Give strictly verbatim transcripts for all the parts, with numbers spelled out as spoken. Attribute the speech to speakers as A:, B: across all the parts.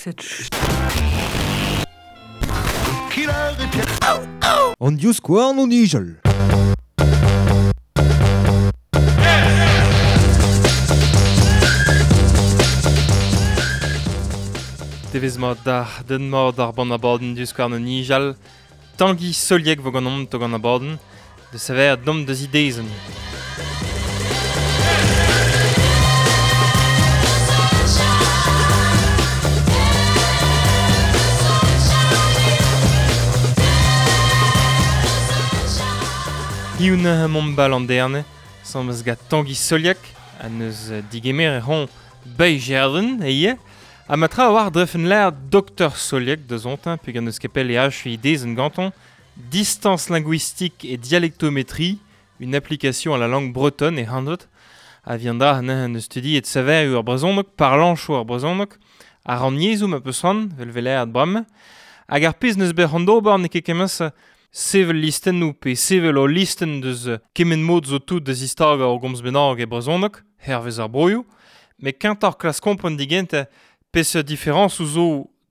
A: Cette
B: An divskouarn o nijal.
C: Devez mat d'ar den mat ar ban abadenn divskouarn o nijal. Tangi Soliek vo gant to gant abadenn, de saver dom deus idezen. Hioun mont bal an derne, sans meus gat Tangi Soliek, a neus digemer e ron bei gerden, eie, a matra war drefen l'air Docteur Soliek de zontin, peg an eus kepel e ach idezen ganton, distance linguistique et dialectométrie, une application à la langue bretonne et handot, a viendra an an studi et saver ur brezhoneg, parlanchoù ar brezhoneg, a ran yezhoù ma peus ran, vel vel ad bram, hag ar pezh neus bet ran d'ober n'eo ket kemmes sevel listennoù pe sevel o listen deus kement mod zo tout deus istag ar gomz bennak e brezhoneg, hervez ar broioù, met kentoc'h klas kompren digent peseurt différence ou zo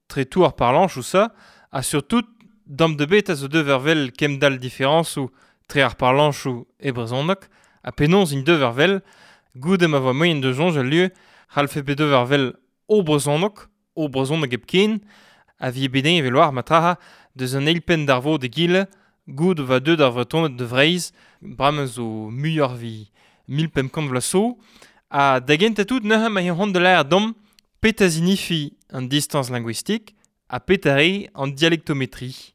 C: tre tout ar parlanch ou ça, ha surtout dam de bet a zo dever vel kem dal différence ou tre ar parlanch ou e brezhoneg, ha penaos int dever vel, goude ma voa moien de jonge al lieu, c'hallfe bet dever vel o brezhoneg, o brezhoneg hepken, a vie bedin evel war matraha deus an eilpenn d'ar vo de gile, goud va deud ar vretoned de Vreiz, bremañ zo muioc'h vi mil pemp kant vloaz zo, ha da gentañ tout neuze ma c'hoant de l'air dom petra zinifi an distance linguistique ha petra re an dialectométrie.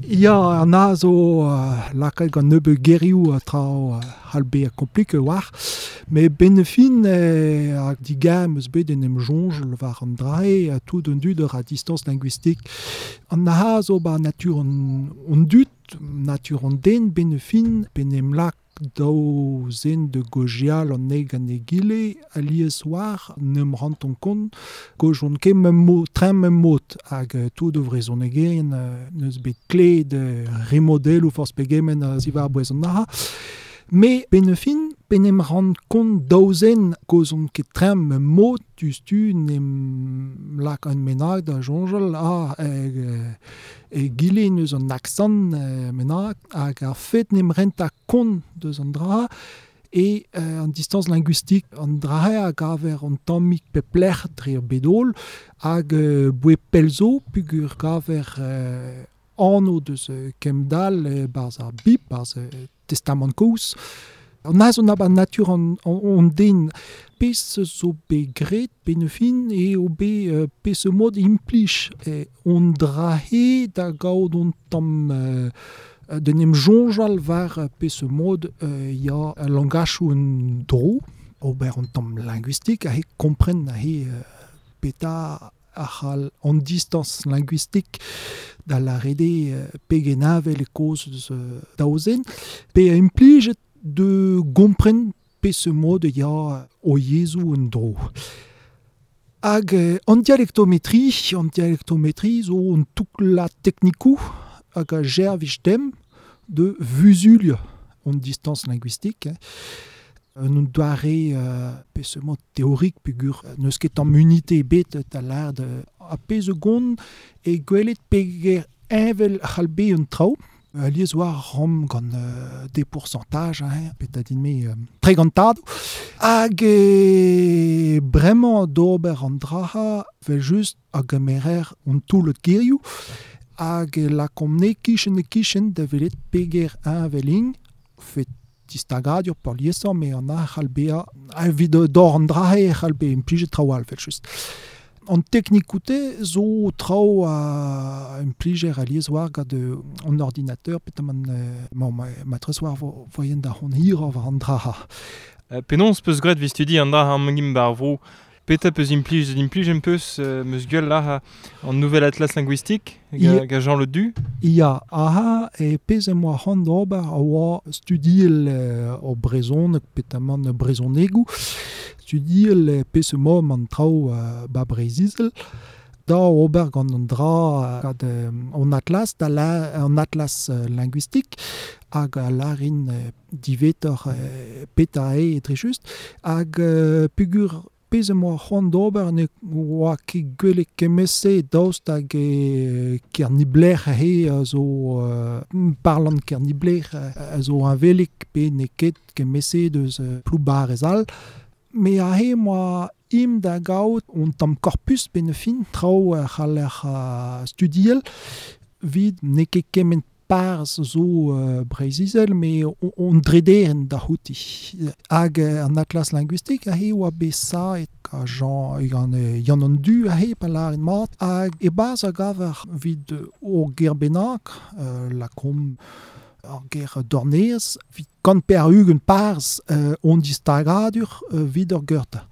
D: Ya, an a zo uh, lakaet gant nebeut gerioù a traoù uh, c'hall bezañ komplike war, met benefin eh, hag digam eus bet en em soñjal war an drae a tout an dud ur a distance linguistique. An a zo ba natur an, an dud, natur an den benefin, ben em lak daou zen de gojial an neg an egile, alies war, n'em ranton kont, gojont ket mem mo, train mem mot, hag tout o vrezhonegerien neus bet kle de remodel ou forz pegement a zivar bouez an aha. Me benefin, ben em rant kont daou zen gozont ket train mem mot, tu n'em lak an menag da jonjal, ah, e, e gile neus an accent e, menag, hag ar fet n'em renta kont deus an dra, e euh, an distance linguistique an dra hag aver an tammig peplec'h dre ar bedol, hag euh, boe pelzo pugur gaver euh, anv deus kemdal euh, barz ar bib, barz euh, testament kozh. An az on a natur an, an, an den pez zo bet graet benefin e o bet euh, pez mod implij e on drahe da gaout on tamm euh, den em soñjal war pez mod euh, ya langachoù un dro, ober an tamm linguistique a he kompren a he euh, peta a c'hall an distance linguistique da la rede euh, pegenavel e koz deus euh, daouzen, pe a implijet de gompren pez mod ya o yezhoù un dro. Hag euh, an dialectométrie, an dialectométrie zo an toukla teknikoù hag a jervij dem de vuzulia an distance linguistique. Hein. Un doare euh, pez mod théorique pugur neus ket tamm unité bet da l'ar de a pez gont e gwelet peger evel c'hall bet un traoù. Alies war rom gant euh, des pourcentages, hein, pet din me euh, tre gantad. Hag e bremañ d'ober an draha vel just hag amerer an toulet gerioù hag e lakomp ne kichen e kichen da velet peger evel fet distagadur par liesañ me an a c'hall bezañ evit d'or an drahe e c'hall bezañ implijet traoù all vel just. An teknikoute zo traoù a implijer alies war gant an ordinateur petamant euh, ma, matres war vo, voyen da hon hir war an draha.
C: Euh, penaos peus graet vi studi an draha an mangim bar vro Peta peus implij implij em peus euh, meus gueul là an nouvel atlas linguistique ga, ga Jean Le Du.
D: Ya, aha, e pez em oa c'hoant d'ober a oa studiel euh, o brezhoneg petamant brezhonegoù, studiel pez emañ an traoù euh, ba Breizh-Izel, da ober gant an dra gant euh, an atlas, da la, an atlas euh, linguistique, hag a larin euh, divetor euh, peta e etre just, hag euh, pugur pezh moa c'hoant d'ober ne oa ket gwelet kemese daoust hag e Kernibler he a zo euh, parlant Kernibler a zo heñvelik pe ne ket kemese deus euh, ploubarez all. Me a he moa im da gaout on tamm korpus pe ne fin traoù a c'haller uh, studiel vid ne ket kement parz zo uh, Breizh-Izel, me on drederen da c'houti. Hag uh, an atlas linguistik a he oa bet saet a Jean gant uh, Yann an Du a he pa lâret mat hag e baz a gaver vid o ger bennak uh, la kom ar ger dornez vid kant per ugent parz uh, on distagadur uh, vid ur geurta.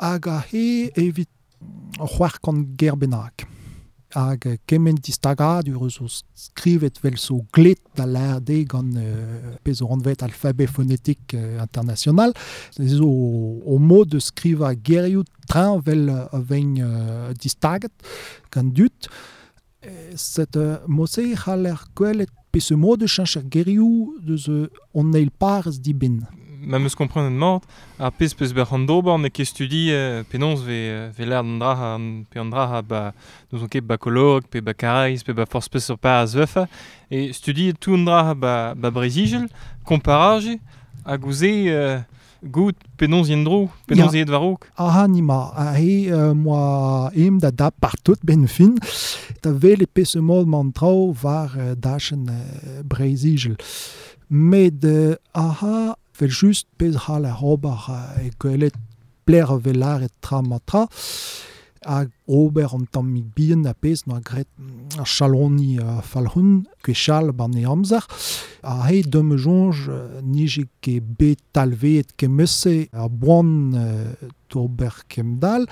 D: Hag a he evit c'hoar kant ger bennak. Hag kement distagadur eus o skrivet vel so glet da l'R D gant euh, pezh o anvet alphabet phonétique euh, international. Zo o, o mod de skriva gerioù train vel a vegn euh, distaget gant dut. Set euh, mose c'haller gwelet pezh o mod de cheñch ar gerioù deus on eil parz dibin.
C: Ma meus komprenet mat, ar pezh peus bet c'hoant d'ober n'eo ket studi euh, penaos ve, ve l'air d'an dra pe an dra ba n'ouzon ket ba Koloreg pe ba Karaez pe ba forzh peseurt parz vefe e studi tout an dra ba, ba Breizh-Izel, komparaje hag ouze euh, gout penaos yen dro, penaos yet war-raok.
D: Aha nima, a he euh, moa em da da partout ben fin, da vel e pezh mod man traoù war euh, dachenn euh, Breizh-Izel. Met euh, aha vel just pezh c'hall ar ober e gwelet pler vel lâret tra ma tra hag ober an tammig bihan a pezh noa graet ar chaloni uh, falc'hun gwechall ban e amzer a he deum soñj nije ket bet talveet kemese ar boan uh, d'ober kemdal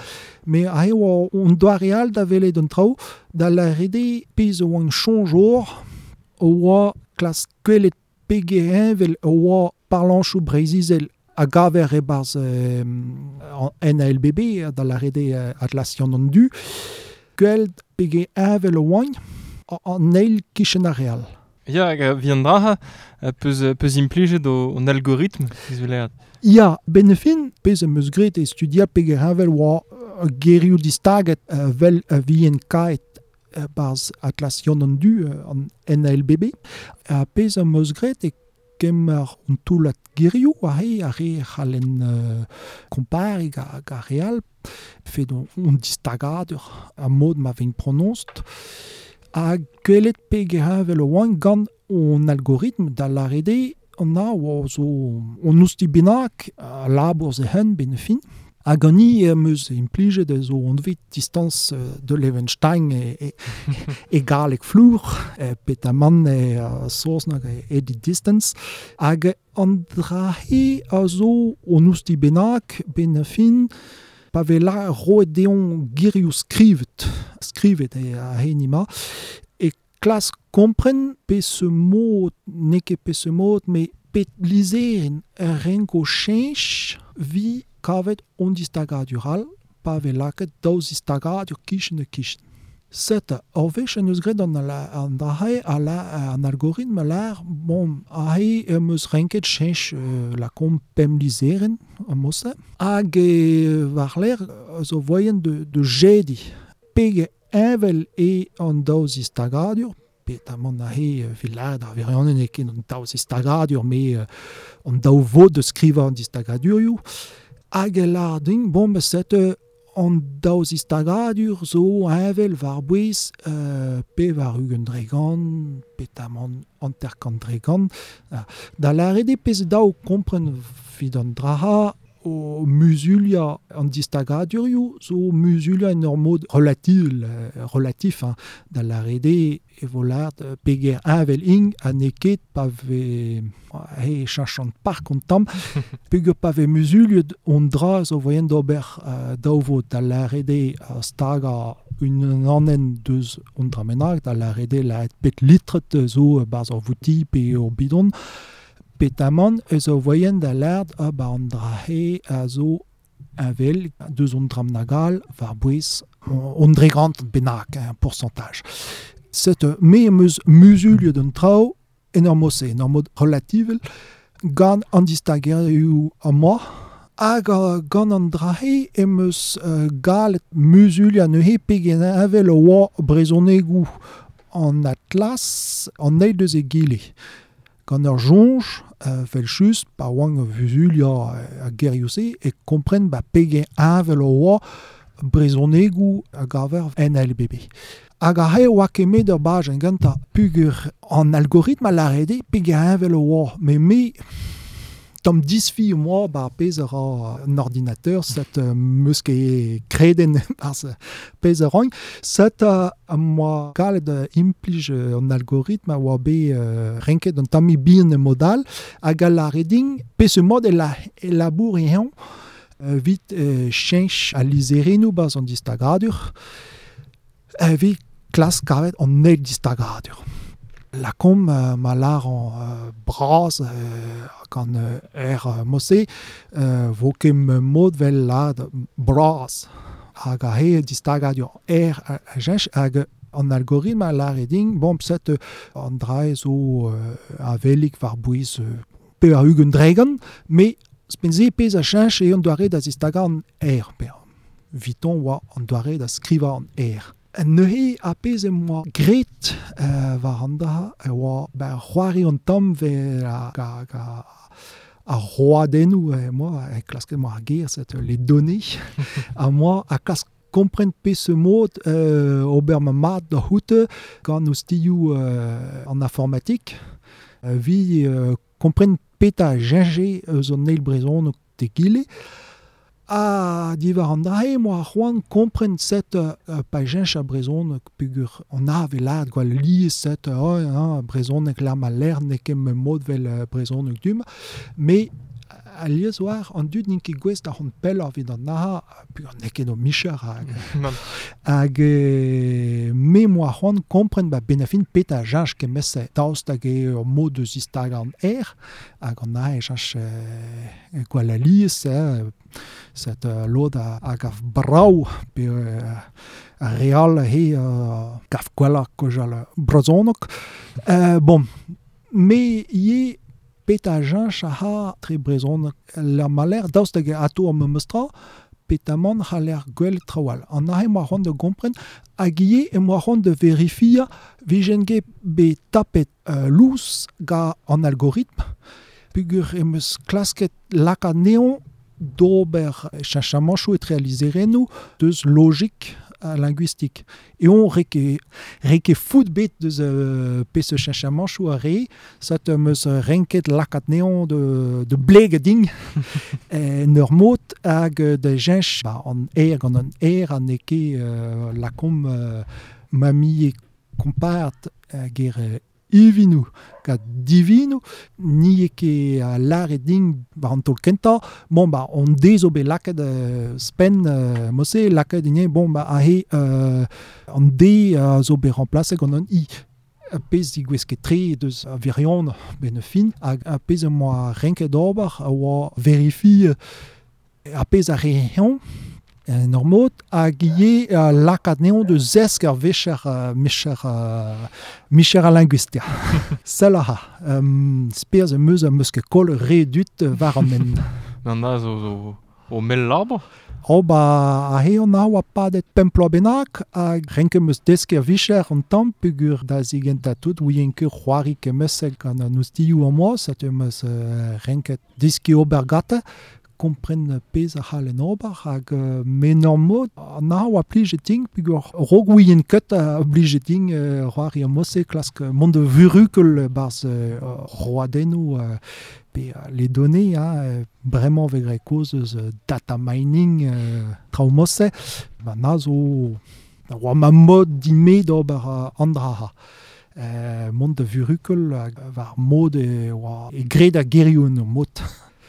D: me a he oa on doare all da welet an traoù da lâret eo pezh oan soñj or oa klas gwelet pege heñvel oa parlanchoù Breizh-Izel a gaver e-barzh euh, N A L B B da lâret eo Atlas Yann an Du gwell pege heñvel oan an eil kichen ar real.
C: Ya, hag a vi an dra peus, peus implijet o, an algoritm, ez vel
D: Ya, ben fin, pezh am eus graet e studia pege heñvel oa gerioù distaget vel a vien kaet barzh Atlas Yann an Du an N A L B B. A pezh am eus graet e kemer an toullad gerioù a re a re c'hallen euh, kompariñ ga, ga real fet on, on distagadur a mod ma vegn pronoñst ha gwelet pege heñvel oan gant on algoritm da lâret eo an a oa zo on ousti bennak a labour ze hen ben fin. Hag an i em eus implijet zo anvet distance de Levenshtein e, e, e galleg flour, e petamant e uh, saozneg e edit distance. Hag an dra he a zo on ousti bennak ben fin pa ve la roet deon gerioù skrivet, skrivet e a henima, e klas kompren pe ce mod, n'eo ket pe ce mod, me pet lizherenn a renko cheñch vi kavet on distagadur all, pa ve lakaet daou zistagadur kichen e kichen. Set, ur wech en eus graet an, an dra-se a la, an algoritm a lâr, bon, aze em eus renket cheñch euh, lakaomp pemp lizherenn am mosse, hag e war-lerc'h zo voien de, de jediñ. Pege heñvel eo an daou zistagadur, petamant aze evit lâret ar wirionez n'eo ket an daou zistagadur, me euh, an daou vod de skrivañ an distagadurioù. Hag e lâr din, bon, ben, set an daou zistagadur zo heñvel war-bouez euh, pe war ugent dregant, petamant hanter-kant dregant. Da lâret eo pezh daou kompren evit an dra o muzuliañ an distagadurioù zo muzuliañ en ur mod relatil, euh, relatif, hein, da lâret eo e vo lâret peger heñvel int ha n'eo ket pa ve he cheñchant park an tamm, peogwir pa ve muzuliet on dra zo voien d'ober euh, daou vod da lâret eo uh, stagañ un anenn deus on dra bennak, da lâret eo lâret pet litret zo barzh ur vouti pe ur bidon, petamant eus o voien da lâret a ba an dra he a zo heñvel deus on dram nagal war bouez on dregant bennak, un pourcentage. Set me em eus muzuliet an traoù en ur mod-se, en ur mod relativel, gant an distagerioù amañ Hag uh, gant an drahe em eus uh, galet muzulia neuze pegen heñvel oa brezhonegoù an Atlas an eil deus egile. Gant ur soñj, uh, vel just, pa oan vuzulia uh, a gerioù-se, e kompren ba pegen heñvel oa brezhonegoù a gaver en L B B. Hag a he oa kemet ur bajenn ganta pugur an algoritm a larede pegen heñvel oa, me me tamm disfi moa ba pezh a ra an ordinateur, set uh, meus ket kreden barzh pezh a roñ, set uh, moa galet uh, implij uh, an algoritm a oa bet uh, renket an tammi bihan e modal, hag a lare din pezh mod e, la, e labour e eñ, uh, vit uh, cheñch al lizherennoù barzh an distagadur, uh, vit klask kavet an eil distagadur. La kom uh, ma lar an uh, braz uh, gant uh, er uh, mosse uh, vo ket mod vel lad braz hag a he distagadur er a, a jench hag an algoritm a lare din bon set uh, an drae zo uh, a velik war bouez uh, pe a ugent dregan me spenze pezh a chench e an doare da zistaga an er pe viton oa an doare da skriva an er. Neuze a pezh em boa graet uh, war an dra e oa ba c'hoari an tamm vel a, ga, ga, a roadennoù e moa e klasket moa ar ger set les données a moa a klask kompren pezh mod euh, ober ma mat da c'houte gant oustioù euh, an informatik euh, vi euh, kompren peta jenje eus an eil brezhoneg tegile. A diwar an drae, moa c'hoant kompren set uh, pa jench a brezhoneg pugur an ave lad gwall lies set uh, oh, hein, brezhoneg la ma ler n'eo ket me mod vel uh, brezhoneg dum, me a lies war an dud n'int ket gouest da c'hont pelloc'h evit an naha, pugur n'eo ket o micher hag, hag e, me moa c'hoant kompren ba benafin pet a jench kemese daoust hag e ur mod eus istag an er, hag an naha e jench eh, gwall a lies, eh, set uh, lod a, hag av brav pe uh, a real he uh, gav gwelloc'h kozhal brezhoneg. Uh, bon, me ivez pet a jench a ha tre brezhoneg la maler daoust hag ato am meustra petamant c'haller gwell trawal. An ahe moa c'hoant da gompren hag ivez e moa c'hoant da verifia vijen ket bet tapet uh, lous ga an algoritm pugur em eus klasket lakaat neon d'ober cheñchamanchoù etre al lizherennoù deus logik uh, linguistique. E on reke, reke fout bet deus uh, pezh cheñchamanchoù a re, sat em eus renket lakaat neon de, de blege ding en ur mod hag de jench ba, an er gant an er an eo ket uh, lakomp uh, mami e kompart uh, ger uh, ivinou, gant divinou, ni eo ket a lare ding war an taol kentañ, bon ba on dezo bet lakaet uh, spenn uh, mosse lakaet ine, bon ba ahe uh, an de a zo bet remplaset gant an i. A pezh digouez ket tre deus a virion ben fin, hag a pezh am boa renket ober a oa verifi a pezh a re eñ, en ur mod, hag ivez uh, lakaat neon de zesk ar vecher uh, micher, uh, micher a linguistia. Sell a ha. Um, speaz em eus am eus ket koll re dut war an men.
C: An da zo, zo o mell labour?
D: Oh ba a he an a oa padet pemp bloaz bennak, hag renket em eus deskiñ ar vicher an tamm peogwir da zigentañ tout ouien ket c'hoari kemesek gant an oustioù am boa, setu em eus uh, renket deskiñ ober gante, kompren pezh a c'hall en ober, hag uh, me ur mod an a oa plijet din peogwir raok ouien ket a blijet din uh, c'hoari am mosse klask mont de vurukel barzh uh, roadennoù uh, pe uh, les données, hein, bremañ vez graet kaoz eus uh, data mining uh, traoù mosse, ba na zo oa ma mod din-me d'ober uh, an dra ha. Uh, mont de vurukel hag war mod e oa e graet a gerioù en ur mod.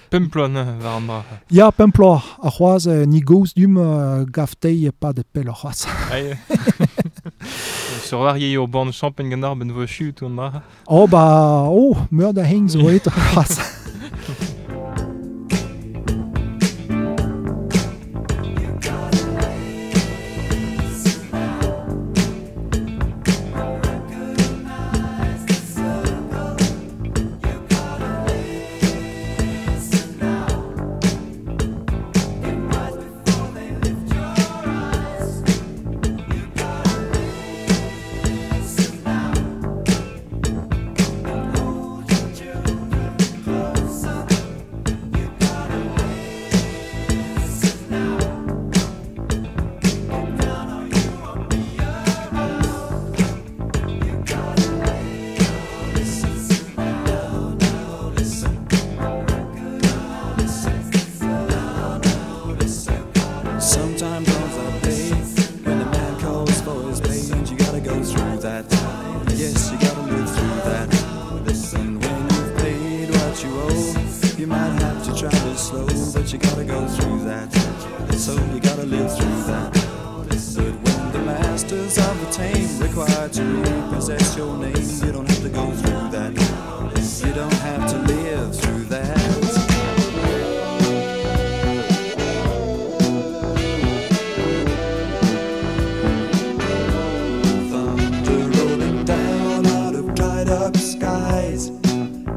C: Pemp bloaz neuze war an dra.
D: Ya, pemp bloaz. Ar c'hoazh uh, ni goz dum uh, gaftei padet pell ar c'hoazh.
C: Aïe. Sur war eo o born champagn gant ar ben vo chut an dra.
D: Oh ba, oh, meur da heng zo et ar c'hoazh.
A: To travel slow, but you gotta go through that. So you gotta live through that. But when the masters of the tame require to repossess your name, you don't have to go through that. You don't have to live through that. Thunder rolling down out of dried up skies,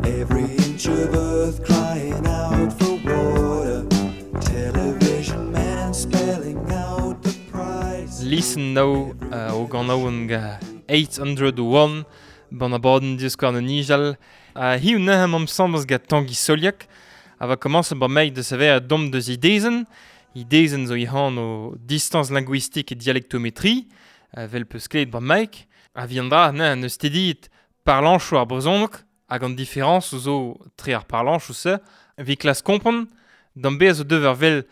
A: every inch of earth crying out for water, television man spelling out the price.
C: Listen now uh, o gant ga eight hundred one ban abadenn diskouarn an nijal. Uh, hiu nehem am sambaz ga Tangi Soliak a va komañs ba meik de saver a dom deus idezen. Idezen zo ihan o distance linguistique et dialectométrie, uh, vel peus kleet ba meik. A viendra ne neus tedit parlanchoù ar brezhoneg hag an différence zo tre ar parlanchoù se, vi klas kompren, d'an bez zo dever vel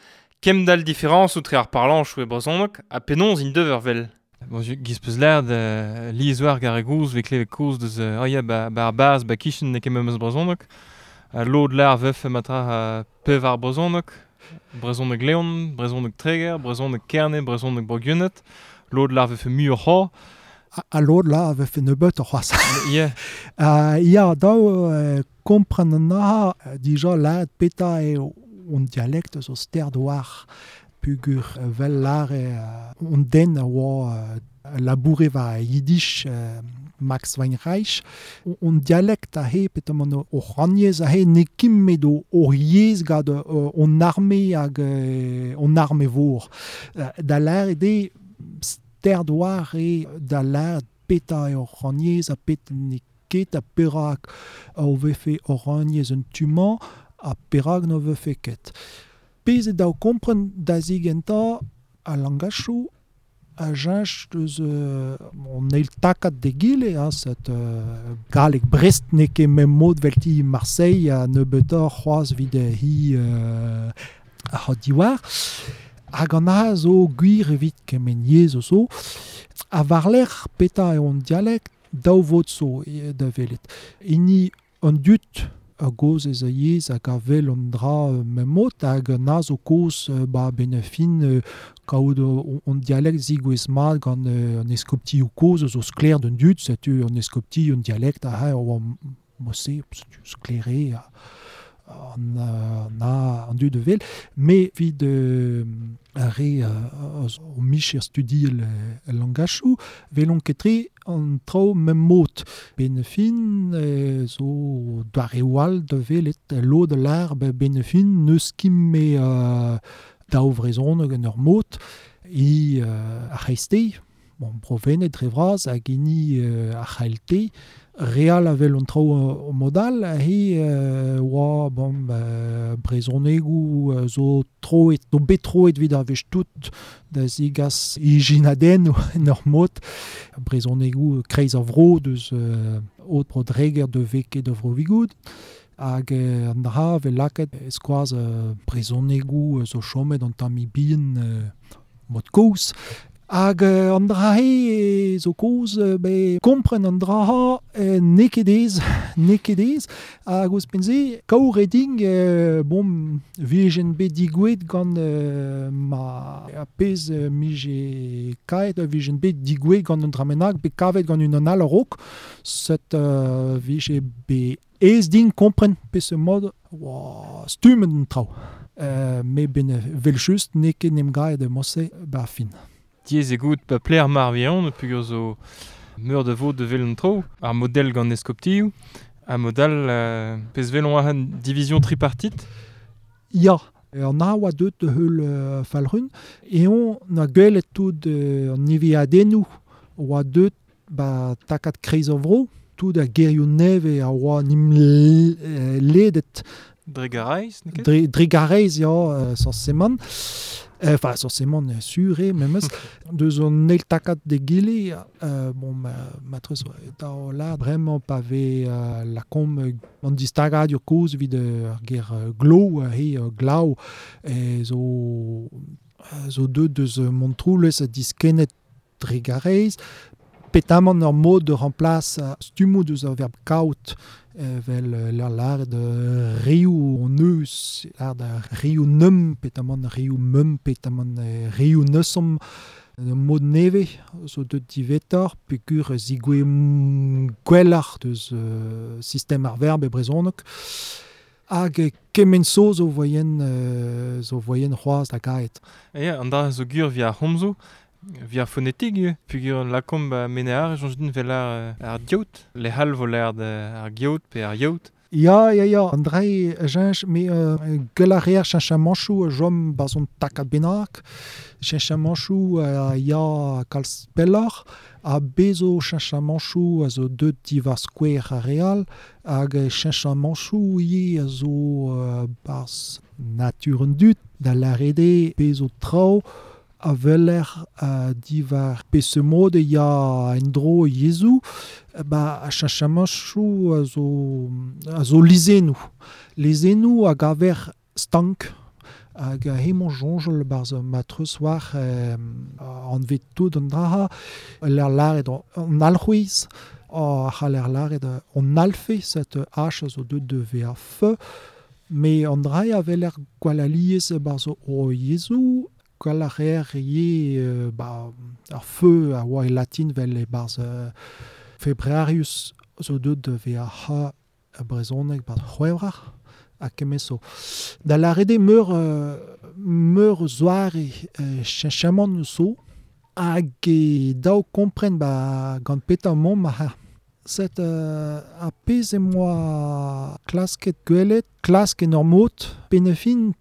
C: kemdal différence ou tre ar parlanchoù e brezhoneg a penaos int dever vel. Bon, giz peus l'air de liezouar gar e gouz ve klevet koz deus euh, oh ya ba, ba ar baz ba kichen ne ket memes brezhoneg. A lod l'air veuf matra uh, pev ar brezhoneg, brezhoneg Leon, brezhoneg Treger, brezhoneg Kerne, brezhoneg Bro-Gwened. Lod l'air veuf muioc'h c'ho.
D: A lod la vefe nebeut c'hoazh.
C: Yeah.
D: Uh, ya, daou uh, kompren an aha, dija lad peta e on dialect zo sterd war pugur vel lare uh, on den a oa uh, laboure va yiddish uh, Max Weinreich. On, on dialect a he petamant o c'hrannyezh a he ne kim met o o yezh gant uh, on arme hag uh, on arme vor. Uh, da lare de sterd war e da lare peta e o c'hrannyezh a pet ne ket a perak o vefe o c'hrannyezh un tumañ a perak no vefe ket. Pezh e daou kompren da zigenta a langachoù a jench deus euh, on eil takat de gile, hein, set euh, galleg Brest ne ket mem mod velti Marseille a nebeutoc'h c'hoazh vid hi euh, ar diwar. Hag an a zo gwir evit kement yezh o zo. A war-lerc'h peta eo an dialect daou vod zo e, da welet. Hini an dud a goz ez a yezh hag a wel an dra mem mod hag an a zo koz ba ben fin kaout on dialect zigouez mat gant an eskopti o koz zo sklaer d'un dud, setu an eskopti un dialect a ha o mose sklaere a an na an dud de vel, me vid euh, a re euh, o micher studi el, el langachou, velon ketre an traoù mem mot. Ben fin euh, zo doare oal de velet lod l'ar ben fin neus kim me euh, daou vrezhoneg en ur mot i euh, ar c'hreisteiz, bon, Bro-Wened dre vras hag hini euh, ar c'haelte, real a vel an traoù o modal, he euh, oa bon, euh, brezhonegoù euh, zo troet, zo bet troet vid ar wech tout da zigas ijinadenn en ur mod, brezhonegoù kreiz ar vro deus euh, ot bro Dreger de veke de vro Vigoud, hag euh, an dra vel lakaet eskoaz euh, brezhonegoù zo chomet an tamm bihan euh, mod kozh. Hag euh, an dra he zo koz be kompren an dra ha euh, n'eo ket ez, n'eo ket ez. Hag ouzhpenn se, kaour e ding, euh, bon, vijen bet digouet gant euh, ma a pezh euh, mije kaet, vijen bet digouet gant an dra bennak, bet kavet gant un an all a-raok, set euh, vije bet ez ding kompren peseurt mod oa stummet an traoù. Euh, me ben vel just n'eo ket n'em gaet de mosse ba fin.
C: Diez e gout pa pler mar vihan, pugur zo meur de vo de vel an traoù, ar model gant eskoptioù, ar model euh, pezh velon ar an division tripartite.
D: Ya, an a oa deut de heul euh, falrun, e on a gwelet tout euh, an niveadennoù oa deut ba takat kreiz ar vro, tout a gerioù neve a oa nim ledet.
C: Dre gareiz, n'eo ket?
D: Dre, dre gareiz, ya, euh, forcément. Enfin, euh, forcément, sûr, et memes. Deus an eil takat de gile, euh, bon, ma, matrez, da la bremañ pa ve euh, la kom an distagadur kozh evit ar ger glo, he glav, e zo, zo deut deus Montroulez a diskennet dre gareiz. Petamant ur mod de remplace stummoù deus ar verb kaout Vel l'ar lâret reoù on eus, lâret reoù neum, petamant reoù meum, petamant reoù neusomp, mod neve, zo deut divetor, pegur zigwe gwelloc'h deus euh, sistem ar verb e brezhoneg. Hag kement so zo voyen, euh, zo voyen c'hoazh da gaet.
C: Ya, an dra zo gur via ar c'homzoù, via ar fonetik, pegur lakomp ba menear, soñj din vel ar, ar diaout, le hal vo l'air ar giaout pe ar yaout.
D: Ya, ya, ya, an dra jench, me euh, gell a reer cheñchamanchoù jom barzh on takad bennak, cheñchamanchoù euh, ya kalz pelloc'h, ha bezo cheñchamanchoù a zo deut diwar skouer ar real, hag cheñchamanchoù ivez a zo euh, barzh natur an dud, da lâret eo bezo traoù a weler uh, diwar peseurt mod ya en-dro yezhoù, ba a cheñchamanchoù a zo, a zo lizhennoù. Lizhennoù a gaver stank hag hemañ soñjal barzh ma treuzwar euh, anvet tout an dra, l'ar lâret an alc'hwez, a c'haller lâret an alfe, set H a zo deut de V A F, me an dra a weler gwall alies barzh o yezhoù, gwall a reer ivez euh, ba, ar feu a oa e latin vel e barzh euh, Februarius zo deut de V A H brezhoneg barzh C'hwevrer ha kement zo. Da lâret eo meur, euh, meur zoare euh, cheñchamant zo hag e daou kompren ba gant petra mont ma ha. Set euh, a pezh em boa klasket gwelet, klask en ur mod, penn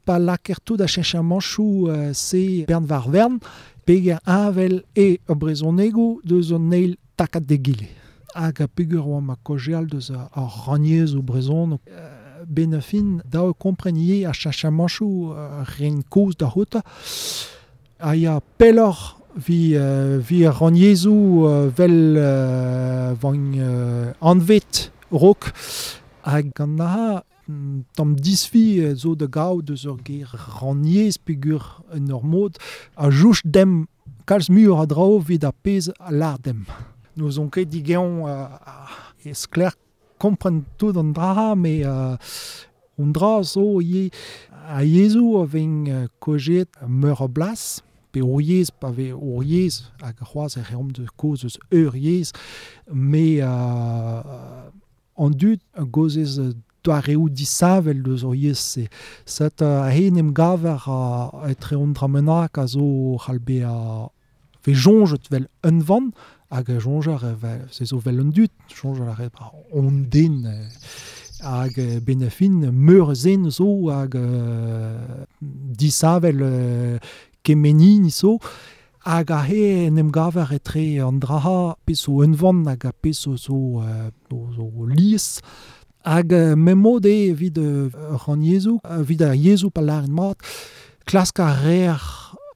D: pa lakaer tout a cheñchamanchoù euh, se bern war vern, peger heñvel e ur brezhonegoù deus an eil takad d'egile. Hag a peger oa ma kaozeal deus ar rannyezhoù brezhoneg. Euh, benn daou kompren ivez a cheñchamanchoù euh, ren kozh da c'houta. A ya pelloc'h vi, euh, vi ar rannyezhoù euh, vel euh, van euh, anvet rok hag gant aha tamm disfi zo da gaout deus ur ger rannyezh pegur en ur mod a jouch dem kalz muioc'h a draoù evit ar pezh a lâr dem. Nous on ket digeon euh, e sklaer kompren tout an dra, me euh, an dra zo ivez a yezhoù a vez euh, kaozeet meur a blas, pe ur yezh, pa vez ur yezh, hag c'hoazh e reomp de kaoz eus ur yezh, me euh, an dud a gozez doareoù disheñvel deus ur yezh-se. Set a hen em gaver a etre an dra bennak a zo c'hall bezañ ve soñjet vel unvan, hag a soñjer vel, se zo vel an dud, soñjer a ret on den hag ben fin meur zen zo hag euh, disheñvel euh, kemenin zo, hag a he en em gaver etre an dra pezh zo unvan hag a pezh zo zo, euh, zo lies. Hag euh, memod eo evit euh, rannyezhoù, evit ar yezhoù pa lâret mat, klask a reer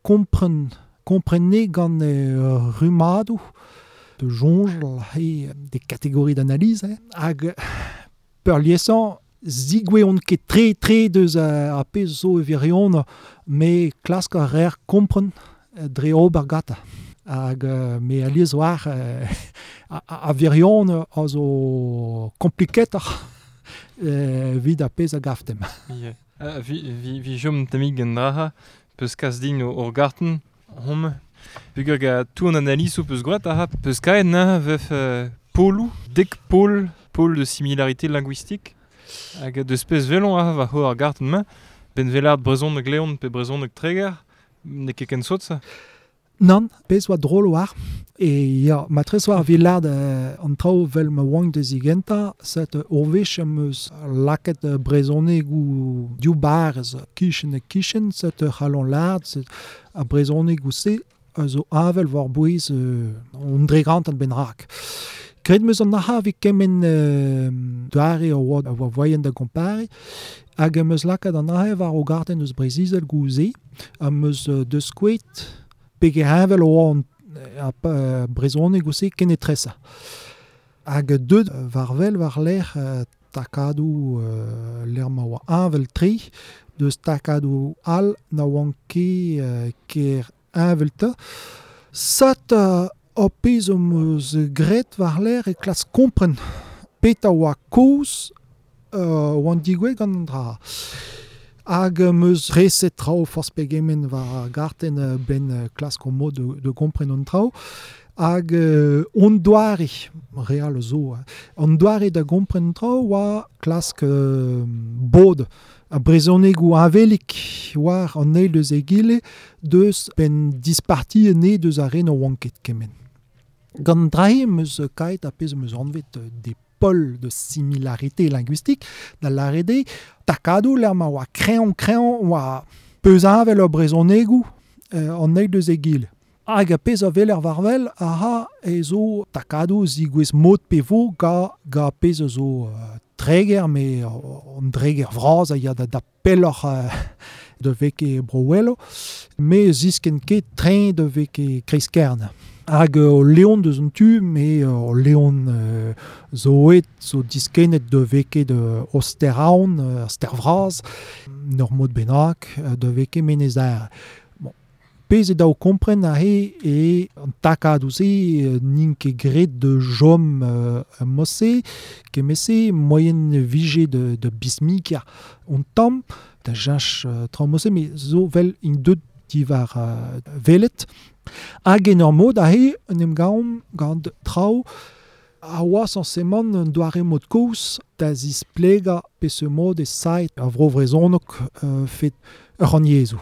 D: kompren, komprenne gant euh, rummadoù, de soñjal he des catégories d'analyse, hein. Hag peurliesañ zigoueont ket tre tre deus a, a pezh zo e virion, me klask a reer kompren dre ober gata. Hag euh, me alies war euh, a, a virion a zo kompliketoc'h euh, evit ar pezh a gavtemp.
C: Yeah. Uh, vi, vi, vi jom tamig gant dra, peus kas din o ur garten, hom, peogwir ga tout an analyse peus gwraet aha, peus kaet na vef euh, poloù, dek pol, pôle de similarité linguistique, hag deus pezh velon aha war ho ar garten ma, ben velard brezhoneg Leon pe brezhoneg Treger, n'eo ket ken sot ça?
D: Nann, pezh oa drol war. E ya, ma tres war vilard euh, an traoù vel ma oan da zigentañ, set ur wech am eus lakaet brezhonegoù div barrez kichen ha kichen, set c'hallon lâret, set a brezhonegoù se a zo heñvel war bouez euh, an dregant an benrak. Graet 'm eus an ac'ha evit kement euh, doare a oa, a oa voaien da gompariñ, hag am eus lakaet an ac'ha war o gartenn eus Breizh-Izel gouze, am eus euh, deus skouet peger heñvel oa an a euh, brezhoneg ouzh ken etresa. Hag deut war wel war lec'h euh, takadoù euh, lec'h ma oa heñvel tre, deus takadoù all na oant ket euh, ker heñvel ta. Sat euh, ar pezh am eus graet war lec'h e klask kompren peta oa koz euh, oan digouet gant an dra. Hag meus reset trao forz pegement war ar garten ben klask o mod de, de kompren an trao. Hag euh, on doare, real zo, on doare da gompren trao oa klask euh, bod a brezhoneg ou avelik war an eil deus egile deus ben disparti ne deus ar ren o oan ket kemen. Gant drae meus kaet a pezh meus anvet des pôles de similarité linguistique da l'arede takadou l'er ma oa kreon kreon oa peuzavel ur brezhonegou euh, an eil deus egile. Hag a pezh a vel er varvel aha e zo takadou zigouez mod pe vo ga, ga pezh zo euh, treger me an dreger vraz a ya da, da pelloc'h euh, de veke brouello me zisken ket trein de veke kreiskern. Hag o leon deus an tu, me o leon euh, zo et zo diskenet de veke de Osteraon, euh, Stervraz, nor mod bennak, de veke menezer. Bon, pezh e da o kompren a he e an takadou se n'int ket graet de jom euh, mosse, kemese moyen vije de, de bismikia on tamm, da jench euh, tra mosse, me zo vel in deut divar euh, velet. Hag en ur mod a he en em gaomp gant traoù a oa sañsemant un doare mod koz da zisplega pe ce mod e saet a vro vrezhoneg euh, fet ur an yezhoù.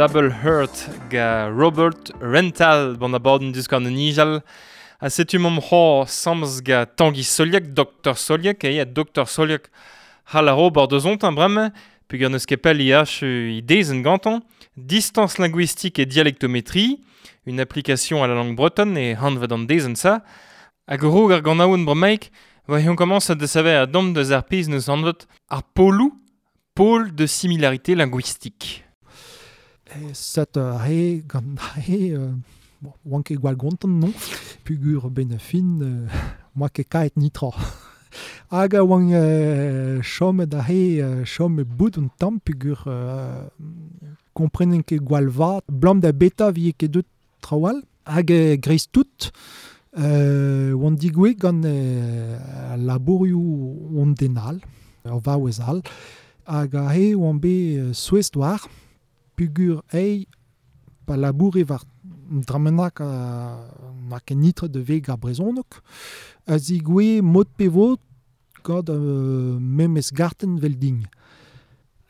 C: Double Hurt ga Robert Rental bon abadenn deus gant an nijal. A setu mom c'hor samz ga Tanguy Soliak, Docteur Soliak, e ya Docteur Soliak c'hall ar ober deus ont bremañ, peogwir n'eus ket pell I H i dezenn gantañ. Distance linguistique et dialectométrie, une application à la langue bretonne et hanvet an dezenn sa. Hag roog ar ganaouenn bremaik, va on commence a desaver a dom deus ar pezh neus anvet ar polou, pôle de similarité linguistique.
D: Set he gant he euh, bon, oan ket gwall gontant non, pugur ben fin euh, moa ket kaet nitra. Hag a oan euh, chom da he euh, chom bout un tamm pugur euh, komprenen ket gwall vat, blam da beta vie ket deut trawal, hag e greiz tout euh, oan digouet gant euh, labourioù on denal, ur vaouez all, hag a he oan bet euh, souezh war, pugur ei pa laboure war dramenak a na ket nitre de veg ar brezhoneg, a zigouez mod pe vot gant euh, memes garten vel ding.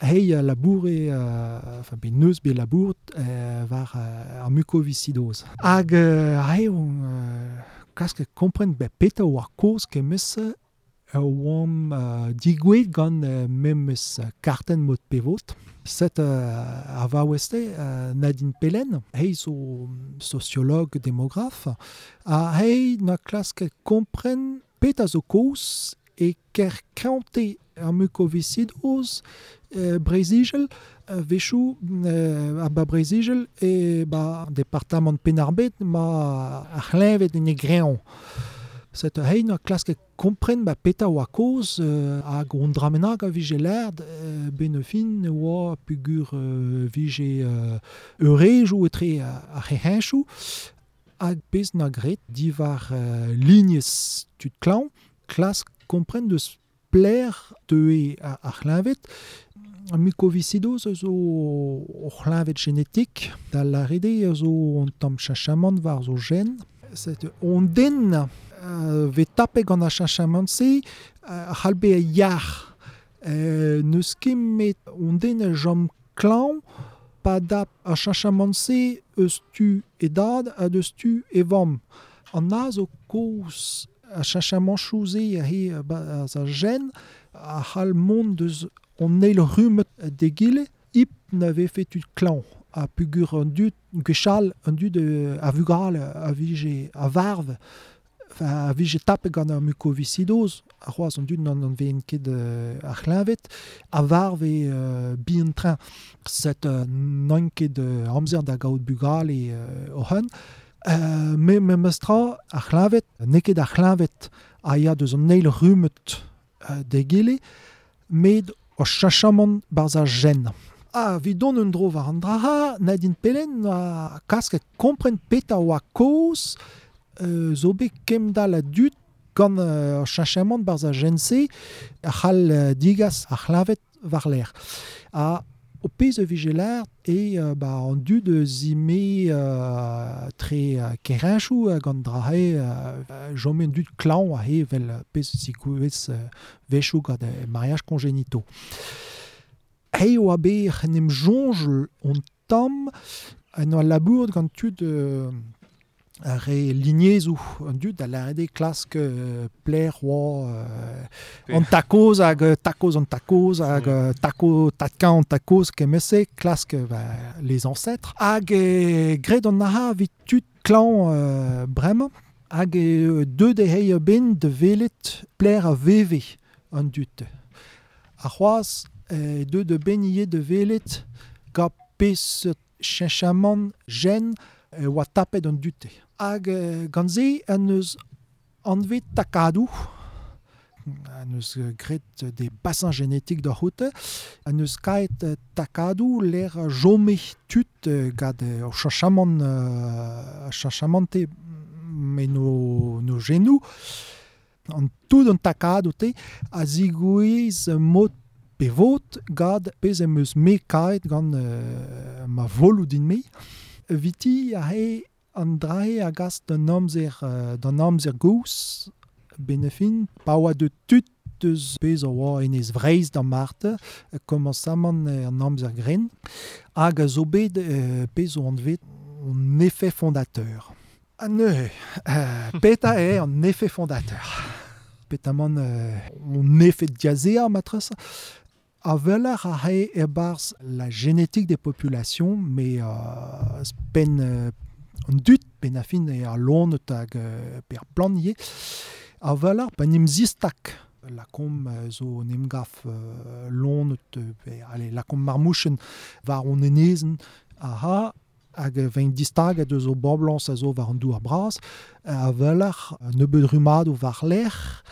D: Hei a laboure, euh, enfin be neus be labourt euh, war euh, ar mukoviscidoz. Hag euh, hei on euh, klask kompren be peta war koz kemese oamp euh, digouet gant euh, memes karten mod pe vot. Set euh, a vaoueste euh, Nadine Pellen, hei zo sociologue démographe, a hei na klask kompren peta zo koz e ker krante ar mukoviscidoz euh, Brezigel, euh, vechou euh, a ba Brezigel e ba departamant Penarbet ma ar c'hleñved en e greñv. Set hei na klask kompren ba peta oa koz euh, hag on dramenag a vije lerd euh, ben fin oa pugur euh, vije euh, eurejou etre ar c'hehenchou hag pezh na gret divar euh, lignez tud klañv klask kompren deus pler teue ar c'hleñved. Ar mukoviscidoz zo o c'hleñved genetik, da lâret eo zo un tamm cheñchamant war zo gen. Set on den euh, vez tapet gant ar cheñchamant-se a c'hall bezañ yac'h. Euh, n'eus ket met on den a chom klañv pa dap ar cheñchamant-se eus tu e dad ha deus tu e vamm. An a zo kaoz ar cheñchamant-se a he ba a gen a c'hall mont deus on eil rummet d'egile hip na vefe tud klañv. A pugur an dud gwechall an dud a vugale a vije a varv a vije tapet gant ar mukoviscidoz, ar c'hoazh an dud n'an veen ket ar c'hleñved, a varv e uh, bihan-train. Set uh, n'an ket uh, amzer da gaout bugale uh, oc'han. Uh, me memes tra ar c'hleñved, n'eo ket ar c'hleñved a ya deus an eil rummet uh, d'egile, met o cheñchamant barzh ar gen. Ah, evit dont un dro war an dra, Nadine Pellen a klask kompren petra oa kaoz euh, zo bet kemdal a dud gant euh, cheñchamant barzh ar gen-se a c'hall euh, digas ar c'hleñved war-lerc'h. Ha o pezh a vije lâret e euh, ba, an dud zime euh, tre euh, kereñchoù gant dra-se euh, chome an dud klañv aze vel pezh zikouez euh, wechoù gant euh, mariage congénitaux. Hei oa bet en em soñj on tamm en oa labour gant tud euh, ar re lignezoù an dud a lâret eo klask euh, pler oa euh, an takoz hag takoz an takoz hag mm. tako tatkañ an takoz kement-se klask bah, les ancêtres hag e, graet an aha evit tud klañv euh, bremañ hag e, deuet eo hei a-benn da welet pler a veve an dud. Ar c'hoazh e, deuet a-benn ivez da welet gant peseurt cheñchamant gen e oa tapet an dud. Hag euh, gant se an eus anvet takadoù, an eus graet des bassins génétiques da c'houte, an eus kaet takadoù lec'h chome tud gant ur cheñchamant euh, cheñchamante me no, no genoù. An tout an takadoù te a zigouez mod pe vot gant pezh em eus me kaet gant euh, ma voloù din-me. Viti a he an drae a gas d'an amzer, euh, d'an amzer gozh benefin, pa oa de tud deus pezh a oa enez Vreizh d'an Marte, komañsamant an amzer gren, hag a zo bet euh, pezh o anvet an effet fondateur. Ha neuze, euh, petra eo an effet fondateur. Petamant euh, on effet diazeañ matres, a weler a he e-barzh la génétique des populations, mais euh, pen euh, an dud ben a fin e a lonet hag euh, per plant ivez, a weler pa n'em zistak lakom zo n'em gaf euh, lonet, pe, allez, lakom marmouchen war on enezen, aha, hag vein distaget eus o boblañs a zo war an douar bras, a weler nebeud rumadoù war lerc'h,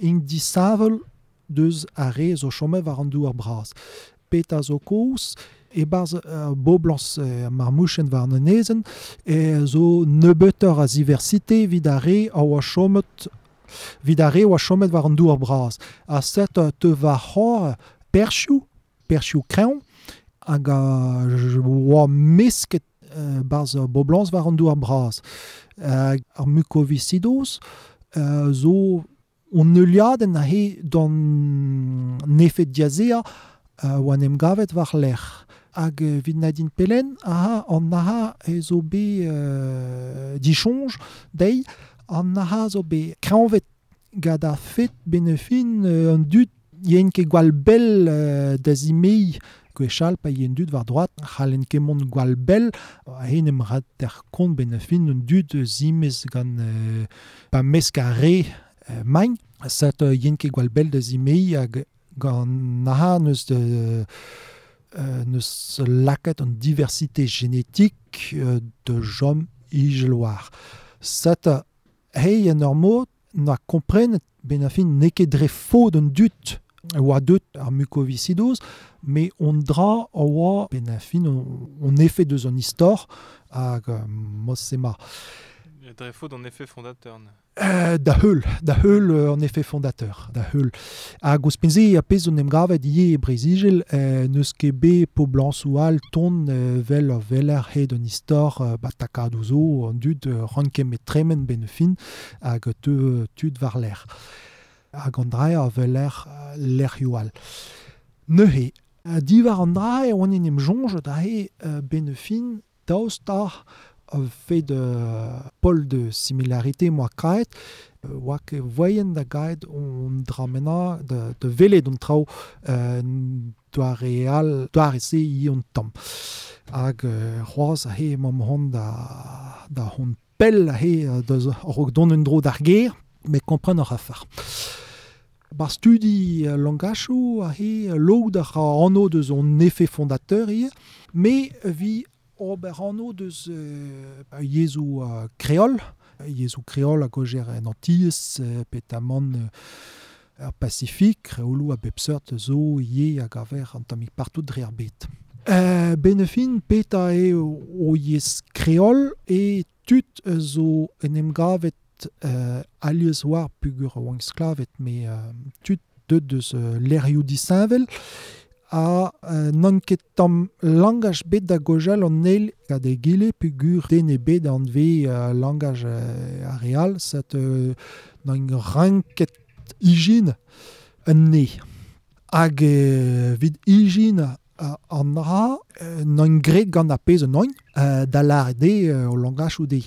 D: int disheñvel deus ar re zo chomet war an douar bras. Petra zo kaoz, e-barzh uh, boblañs uh, marmouchen war an enezenn, e zo nebeutoc'h a ziversite evit ar re a oa chomet evit ar re oa chomet war an douar bras. Ha set te war c'hor perzhioù, perzhioù kreñv, hag a oa mesket uh, barzh boblañs war an douar bras. Uh, ar mukoviscidoz uh, zo on neuliadenn a he d'an effet diazeañ uh, oa en em gavet war lerc'h. Hag evit Nadine Pellen, aha, an aha e zo bet euh, disoñj dezhi, an aha zo bet kreñvet gant ar fet benefin euh, an dud yen ket gwall bell euh, da zimeiñ gwechall pa yen dud war droad, c'hallen ket mont gwall bell, a hen em rat er kont benefin an dud zimez gant euh, pa mesk ar re euh, magn, set euh, yen ket gwall bell da zimeiñ hag gant aha neus de euh, neus lakaet an diversité génétique euh, de jom ijeloar. Set hei en ur mod na komprenet ben a fin n'eo ket dre faot an dud oa deut ar mukoviscidoz, mais on dra a oa ben a fin on, on effet deus an istor hag euh, mod-se ma.
C: Drefo d'an effet fondateur.
D: Euh, da heul, da heul euh, en effet fondateur, da heul. Hag ouzhpenn-se a pezh zo 'n em gavet ivez e Breizh-Izel, euh, n'eus ket bet poblañsoù all ton euh, vel ur veler hed un istor euh, ba takadoù zo, an dud euh, ran ket met tremen ben fin hag teu tud war l'air. Hag an dra a veler euh, lec'hioù all. Neuze, euh, diwar an dra e oan en em soñj da he euh, ben fin daoust da fait de pol de similarité moa kaet, euh, oa ket voien da gaet on dramena de, de velet on traoù euh, doare all, doare se i on tamm. Hag euh, c'hoazh a he mam hon da, da hon pell a he deus a-raok dont un dro d'ar ger, met kompren ar afar. Bar studi euh, langachoù a he lod ar anv deus on effet fondateur ivez, me vi ober anv deus euh, yezhoù euh, kreol, yezhoù kreol a gojer en Antilles, euh, petamant euh, ar Pacifique, kreoloù a bep seurt zo ivez hag aver an tammig partout dre ar bed. Euh, benefin peta eo o yezh kreol e tud zo en em gavet euh, alies war pugur oan sklavet, me euh, tud deut deus euh, lec'hioù disheñvel, a euh, n'on ket tamm langaj bet da gojal an eil gant egile pugur den ebet anve euh, langaj euh, ar real, set euh, n'on ranket ijin un ne. Hag euh, vid ijin euh, an ra euh, n'on graet gant ar pezh un oin euh, da lâret de euh, o langaj ou de.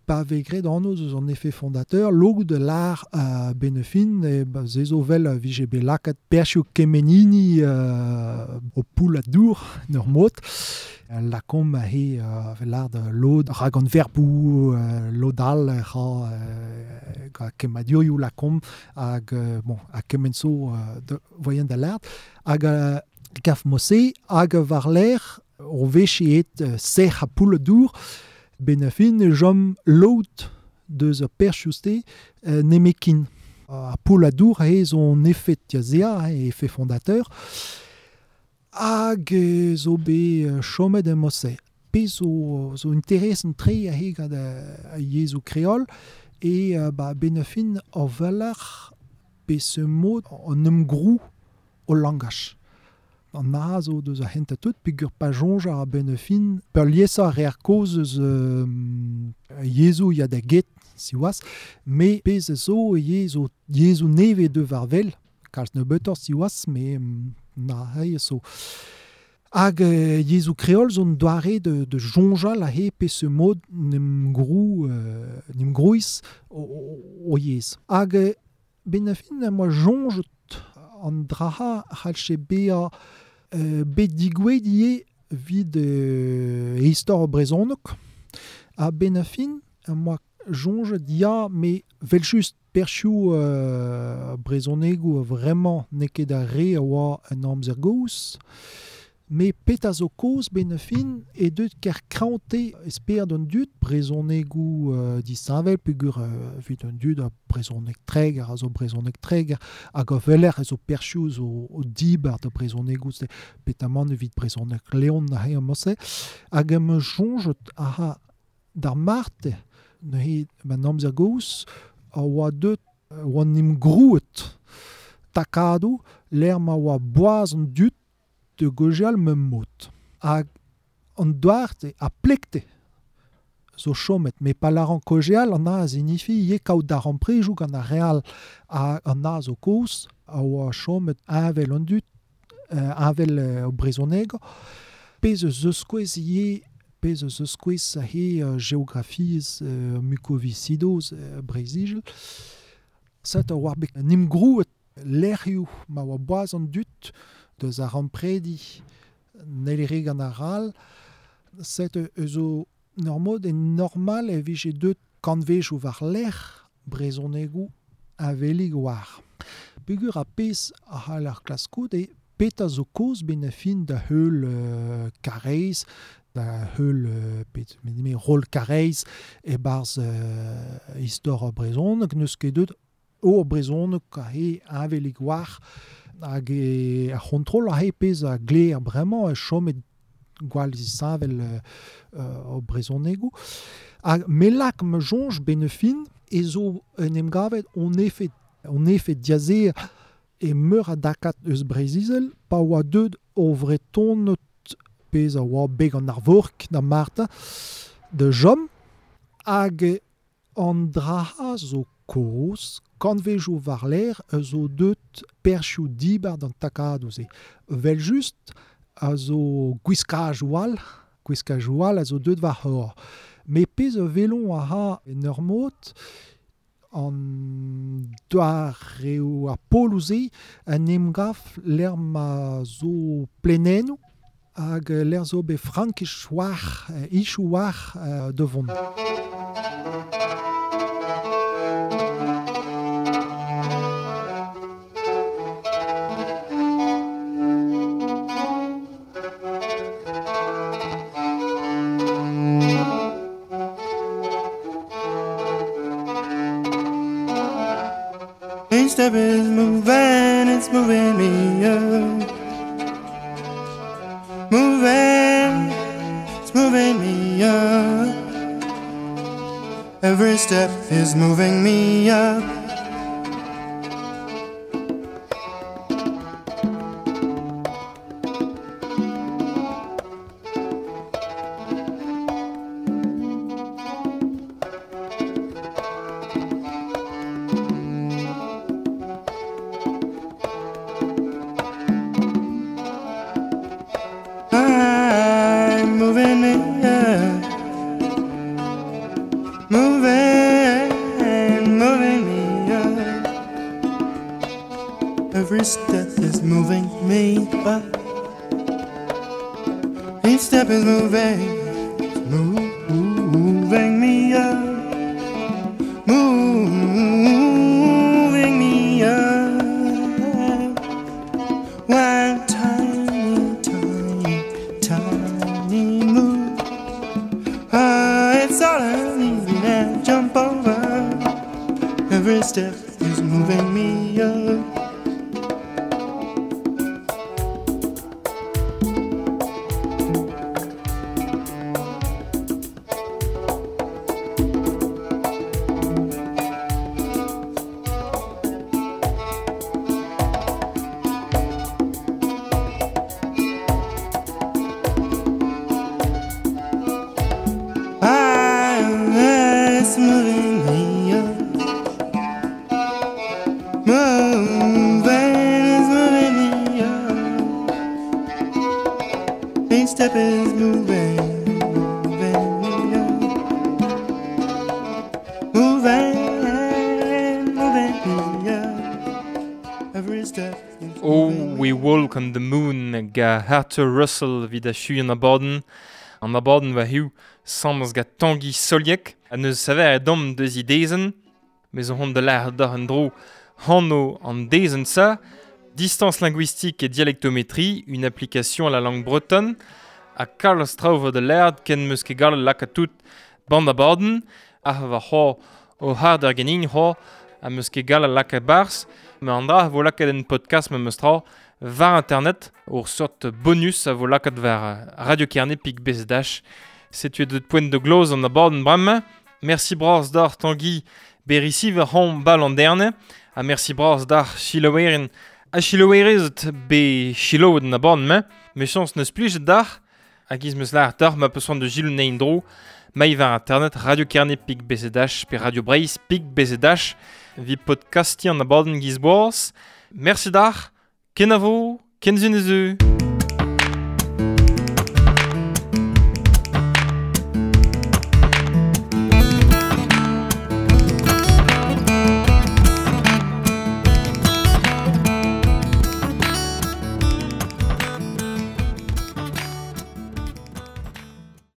D: Pa vez graet anv eus an effet fondateur, log de l'ar euh, benefin, e ba, se zo vel a vije bet lakaat perzhioù kemenini euh, o poull a dour, n'ur mod. Lakomp a he euh, vel l'ar de lod rag an verbou, euh, lod all ra euh, ga kemmadurioù lakomp hag euh, bon, a kement zo euh, de, voyen da l'art. Hag euh, gaf mose hag war l'air o veche et euh, serr a poull a dour, benefin jom lod deus ur perzhioù-se euh, nemekin. A poull a dour he zo effet diazea, he effet fondateur, hag euh, zo bet euh, chomet em mose. Pe zo, zo interesant tre a he gant a, a yezhoù kreol, e euh, ba benefin ur veler pe ce mod an em grou o langaj. An a zo deus a hent a tout, peogwir pa soñj ar benefin, peurliesañ ar reer kozh eus euh, yezhoù ya da get, siwazh, me pezh zo yezhoù, yezhoù nevez deus war wel, kalz nebeutoc'h siwazh, me na he zo. Hag euh, yezhoù kreol zo un doare de, de soñjal a he pe ce mod n'em grou, euh, n'em grouiz o, o, o yezh. Hag euh, benefin am boa soñjet an draha c'hallche bezañ euh, bet digouezhet ivez evit euh, istor brezhoneg. Ha benefin am boa soñjet ya, me vel-just perzhioù euh, brezhonegoù vraiment n'eo ket ar re a oa an amzer gozh. Me petra zo kozh benefin e deut ker kraoñte esper d'an dud brezhonegoù euh, disheñvel peogwir euh, evit an dud a brezhoneg Treger a zo brezhoneg Treger hag a weler a zo perzhioù zo o dibar da brezhonegoù se petamant evit brezhoneg Leon a he am-se hag am soñjet aha d'ar marte neuze an amzer gozh a oa deut oan em grouet takadoù lec'h ma oa boaz an dud de gojal mem mod. Hag an doarte a plekte zo chomet, me pa laran kojeal an a zinifi ye kaout d'ar amprejoù gant ar real a an a zo kozh a oa chomet avel an dud, euh, avel euh, o brezhoneg, pezh eus eus kouez ye pezh eus eus kouez a he euh, geografiezh euh, mukoviscidoz euh, Breizh-Izel. Set a oa bet nim grouet lec'hioù ma oa boaz an dud deus ar ampredi n'hellere gant ar ral, set eus o ur mod e normal e vije deut kantvejoù war lec'h brezhonegoù avelig war. Peogwir a pezh a c'hall ar klaskout e petra zo kozh ben a fin da heul euh, Karaez, da heul euh, pet, me rol Karaez e-barzh euh, istor brezhoneg, n'eus ket deut o brezhoneg a he avelig war hag e ar c'hontrol a he pezh a gleer bremañ e chomet gwall zisavel euh, euh, o brezhonegoù. Ha melak ma soñj benefin e zo en em gavet on efed, on efed diaze e meur a dakat eus Breizh-Izel pa oa deut o vretonot pezh a oa beg an arvork da Marta de jom hag an draha zo koz kanvejoù war l'air zo deut perchioù dibar d'an takadoù se. Vel just a zo gwiskaj oal, gwiskaj oal a zo deut war hor. Me pezh a velon a ha en ur mod an doareo ar poloù-se an emgaf l'er ma zo plenennoù hag l'er zo be frankich war, ichou war de vont.
A: Each step is moving, it's moving me up. Moving, it's moving me up. Every step is moving me up. I'm moving me up. Moving, moving me up. Every step is moving me up. Each step is moving, moving me up. Moving me up. One tiny, tiny, tiny move. Ah, it's all I need to jump over. Every step is moving me up. It's moving me up. Moving, it's moving me up. Each step is moving, moving me up. Moving, moving me up. Every step is
C: Oh,
A: moving
C: We
A: me
C: Walk on the Moon ga Arthur Russell vid a chu an abadenn. An abadenn va hiu samz ga Tangi Soliek a neus saver e dom deus i dezen, mez on hon de l'air d'ar an dro hanno an dezen sa, distance linguistique et dialectométrie, une application à la langue bretonne, a Carlos Trauver de l'air ken meus ket gallet laka tout band abadenn, a va ho o hard ar genin ho, a meus ket gallet laka barz, me an dra vo lakaet en podcast me meus tra var internet, ur sort bonus a vo lakaet var Radio Kerne pik bezdash. Setu deut poent de gloz an abadenn bremañ. Merci bras d'ar Tanguy Berisi var hon bal an derne. Ha merci bras d'ar chilowerin a chilowerezet be chiloet an abadenn mañ. Me chans neus plijet d'ar. Hag iz meus lar d'ar ma peus de gilou nein dro. Maï var internet Radio Kerne pik bezdash pe Radio Breizh pik bezdash. Vi podcasti an abadenn giz boaz. Merci d'ar. Kenavo, kenzun ezu.